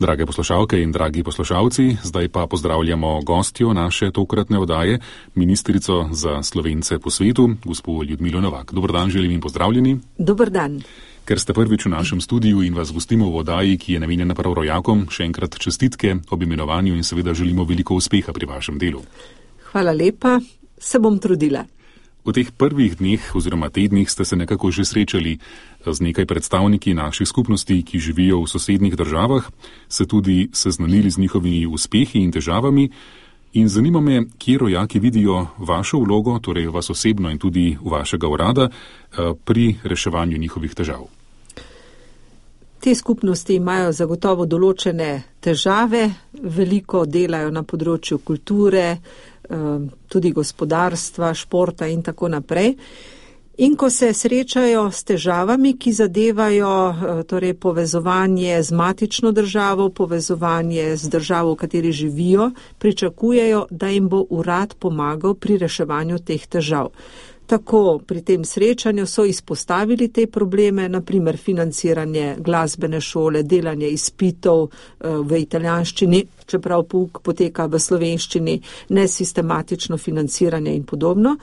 Drage poslušalke in dragi poslušalci, zdaj pa pozdravljamo gostjo naše tokratne oddaje, ministrico za Slovence po svetu, gospo Ljudmilo Novak. Dober dan, želim in pozdravljeni. Dober dan. Ker ste prvič v našem studiu in vas gostimo v oddaji, ki je namenjena prav rojakom, še enkrat čestitke ob imenovanju in seveda želimo veliko uspeha pri vašem delu. Hvala lepa, se bom trudila. V teh prvih dneh oziroma tednih ste se nekako že srečali z nekaj predstavniki naših skupnosti, ki živijo v sosednjih državah, se tudi seznanili z njihovimi uspehi in težavami in zanima me, kje rojaki vidijo vašo vlogo, torej vas osebno in tudi vašega urada, pri reševanju njihovih težav. Te skupnosti imajo zagotovo določene težave, veliko delajo na področju kulture, tudi gospodarstva, športa in tako naprej. In ko se srečajo s težavami, ki zadevajo torej povezovanje z matično državo, povezovanje z državo, v kateri živijo, pričakujejo, da jim bo urad pomagal pri reševanju teh težav. Tako pri tem srečanju so izpostavili te probleme, naprimer financiranje glasbene šole, delanje izpitov v italijanščini, čeprav pouk poteka v slovenščini, nesistematično financiranje in podobno.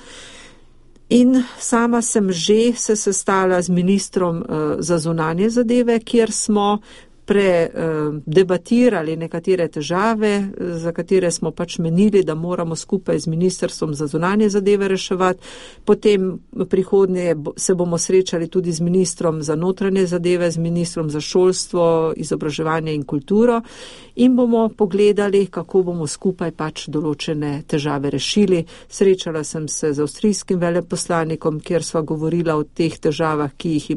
In sama sem že se sestala z ministrom za zunanje zadeve, kjer smo predebatirali nekatere težave, za katere smo pač menili, da moramo skupaj z ministrstvom za zunanje zadeve reševati. Potem prihodnje se bomo srečali tudi z ministrom za notranje zadeve, z ministrom za šolstvo, izobraževanje in kulturo in bomo pogledali, kako bomo skupaj pač določene težave rešili. Srečala sem se z avstrijskim veleposlanikom, kjer sva govorila o teh težavah, ki jih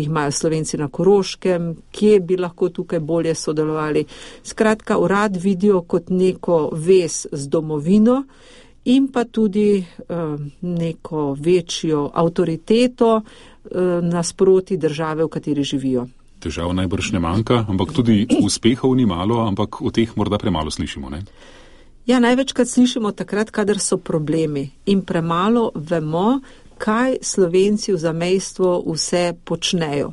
imajo Slovenci na Koroškem, kje bi lahko tukaj bolje sodelovali. Skratka, urad vidijo kot neko vez z domovino in pa tudi neko večjo avtoriteto nasproti države, v kateri živijo. Težav najbrž ne manjka, ampak tudi uspehov ni malo, ampak o teh morda premalo slišimo, ne? Ja, največkrat slišimo takrat, kadar so problemi in premalo vemo, kaj Slovenci v zamejstvu vse počnejo.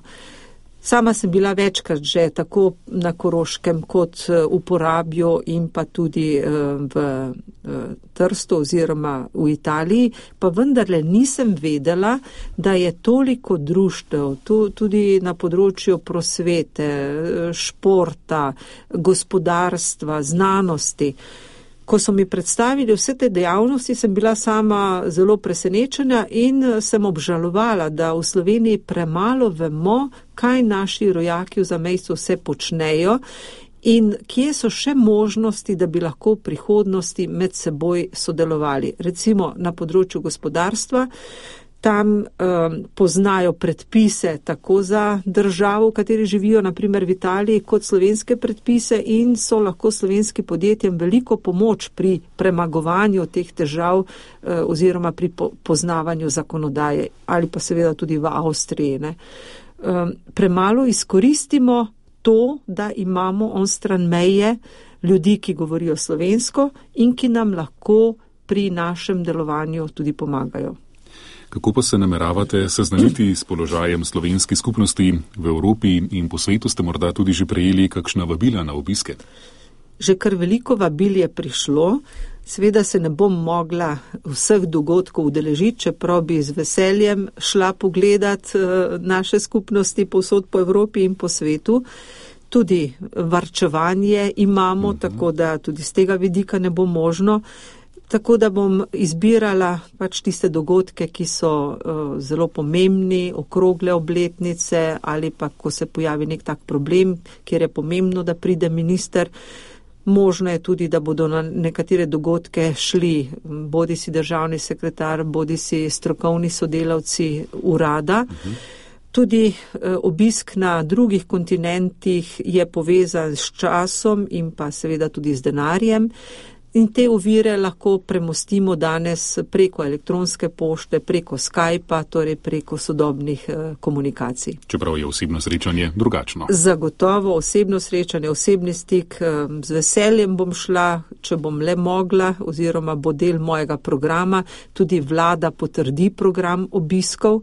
Sama sem bila večkrat že tako na Koroškem kot v Porabju in pa tudi v Trstu oziroma v Italiji, pa vendarle nisem vedela, da je toliko društev, tudi na področju prosvete, športa, gospodarstva, znanosti. Ko so mi predstavili vse te dejavnosti, sem bila sama zelo presenečena in sem obžalovala, da v Sloveniji premalo vemo, kaj naši rojaki v zamejstvu vse počnejo in kje so še možnosti, da bi lahko v prihodnosti med seboj sodelovali. Recimo na področju gospodarstva, tam poznajo predpise tako za državo, v kateri živijo, naprimer v Italiji, kot slovenske predpise in so lahko slovenskim podjetjem veliko pomoč pri premagovanju teh težav oziroma pri poznavanju zakonodaje ali pa seveda tudi v Avstriji. Ne. Premalo izkoristimo to, da imamo onstran meje ljudi, ki govorijo slovensko in ki nam lahko pri našem delovanju tudi pomagajo. Kako pa se nameravate seznaniti s položajem slovenskih skupnosti v Evropi in po svetu? Ste morda tudi že prejeli kakšna vabila na obiske? Že kar veliko vabil je prišlo. Seveda se ne bom mogla vseh dogodkov udeležiti, čeprav bi z veseljem šla pogledat naše skupnosti povsod po Evropi in po svetu. Tudi varčevanje imamo, tako da tudi z tega vidika ne bo možno. Tako da bom izbirala pač tiste dogodke, ki so zelo pomembni, okrogle obletnice ali pa ko se pojavi nek tak problem, kjer je pomembno, da pride minister. Možno je tudi, da bodo na nekatere dogodke šli bodisi državni sekretar, bodisi strokovni sodelavci urada. Tudi obisk na drugih kontinentih je povezan s časom in pa seveda tudi z denarjem. In te ovire lahko premostimo danes preko elektronske pošte, preko Skypa, torej preko sodobnih komunikacij. Čeprav je osebno srečanje drugačno. Zagotovo osebno srečanje, osebni stik, z veseljem bom šla, če bom le mogla, oziroma bo del mojega programa, tudi vlada potrdi program obiskov.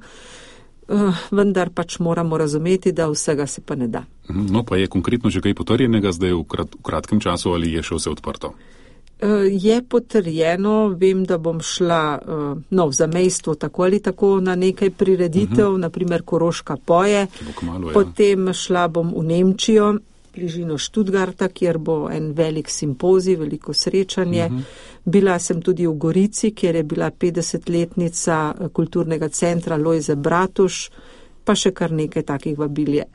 vendar pač moramo razumeti, da vsega se pa ne da. No, pa je konkretno že kaj potrjenega zdaj v kratkem času ali je še vse odprto? Je potrjeno, vem, da bom šla v zamejstvo tako ali tako na nekaj prireditev, naprimer Koroška poje, potem šla bom v Nemčijo, bližino Študgarta, kjer bo en velik simpozij, veliko srečanje. Bila sem tudi v Gorici, kjer je bila 50-letnica kulturnega centra Lojze Bratuš, pa še kar nekaj takih vabil je.